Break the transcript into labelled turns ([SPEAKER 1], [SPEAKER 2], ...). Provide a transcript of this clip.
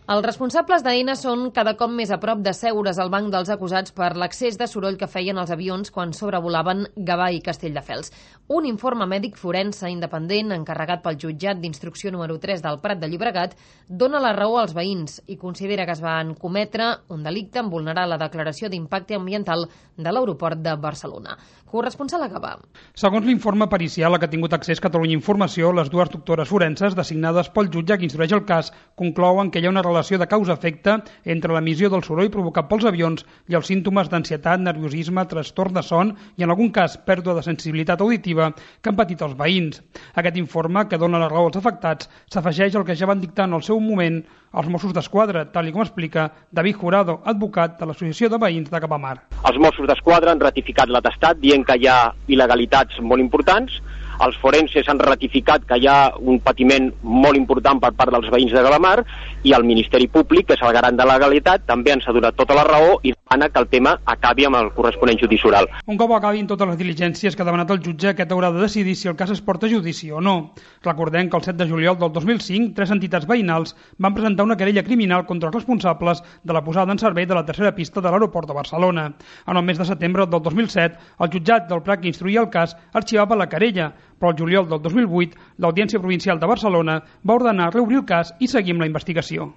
[SPEAKER 1] Els responsables d'Aena són cada cop més a prop de seure's al banc dels acusats per l'excés de soroll que feien els avions quan sobrevolaven Gavà i Castelldefels. Un informe mèdic forense independent encarregat pel jutjat d'instrucció número 3 del Prat de Llobregat dona la raó als veïns i considera que es van cometre un delicte en vulnerar la declaració d'impacte ambiental de l'aeroport de Barcelona. Corresponsal a Gavà.
[SPEAKER 2] Segons l'informe pericial a què ha tingut accés Catalunya Informació, les dues doctores forenses designades pel jutge que instrueix el cas conclouen que hi ha una relació de causa-efecte entre l'emissió del soroll provocat pels avions i els símptomes d'ansietat, nerviosisme, trastorn de son i, en algun cas, pèrdua de sensibilitat auditiva que han patit els veïns. Aquest informe, que dona la raó als afectats, s'afegeix al que ja van dictar en el seu moment els Mossos d'Esquadra, tal com explica David Jurado, advocat de l'Associació de Veïns de Capamar.
[SPEAKER 3] Els Mossos d'Esquadra han ratificat l'atestat dient que hi ha il·legalitats molt importants. Els forenses han ratificat que hi ha un patiment molt important per part dels veïns de Calamar i el Ministeri Públic, que és el garant de la legalitat, també ens ha donat tota la raó i demana que el tema acabi amb el corresponent judici oral.
[SPEAKER 2] Un cop acabin totes les diligències que ha demanat el jutge, aquest haurà de decidir si el cas es porta a judici o no. Recordem que el 7 de juliol del 2005, 3 entitats veïnals van presentar una querella criminal contra els responsables de la posada en servei de la tercera pista de l'aeroport de Barcelona. En el mes de setembre del 2007, el jutjat del Prat que instruïa el cas arxivava la querella, però el juliol del 2008 l'Audiència Provincial de Barcelona va ordenar reobrir el cas i seguir amb la investigació.